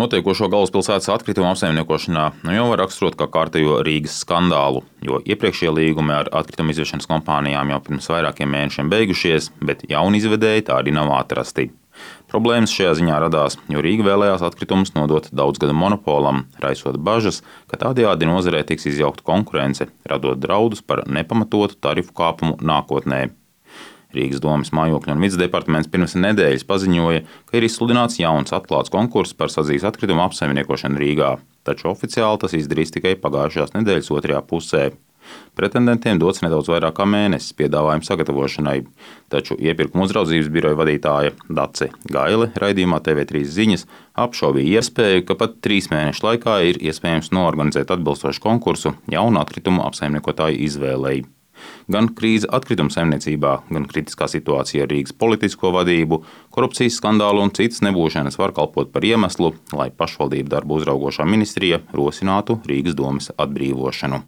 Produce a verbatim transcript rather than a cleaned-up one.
Notiekošo galvaspilsētas atkritumu apsaimniekošanā nu jau var raksturot kā kārtējo Rīgas skandālu, jo iepriekšējie līgumi ar atkritumu izvešanas kompānijām jau pirms vairākiem mēnešiem beigušies, bet jauni izvedēji tādi nav atrasti. Problēmas šajā ziņā radās, jo Rīga vēlējās atkritumus nodot daudzgadu monopolam, raisot bažas, ka tādējādi nozarē tiks izjaukta konkurence, radot draudus par nepamatotu tarifu kāpumu nākotnē. Rīgas domes mājokļu un vides departaments pirms nedēļas paziņoja, ka ir izsludināts jauns atklāts konkurss par sadzīves atkritumu apsaimniekošanu Rīgā, taču oficiāli tas izdarīs tikai pagājušās nedēļas otrajā pusē. Pretendentiem dots nedaudz vairāk kā mēnesis piedāvājumu sagatavošanai, taču iepirkuma uzraudzības biroja vadītāja Dace Gaile raidījumā T V trīs ziņas apšaubīja iespēju, ka pat trīs mēnešu laikā ir iespējams noorganizēt atbilstošu konkursu jaunu atkritumu apsaimniekotāju izvēlei. Gan krīze atkritumu saimniecībā, gan kritiskā situācija ar Rīgas politisko vadību, korupcijas skandālu un citas nebūšanas var kalpot par iemeslu, lai pašvaldību darbu uzraugošā ministrija rosinātu Rīgas domes atbrīvošanu.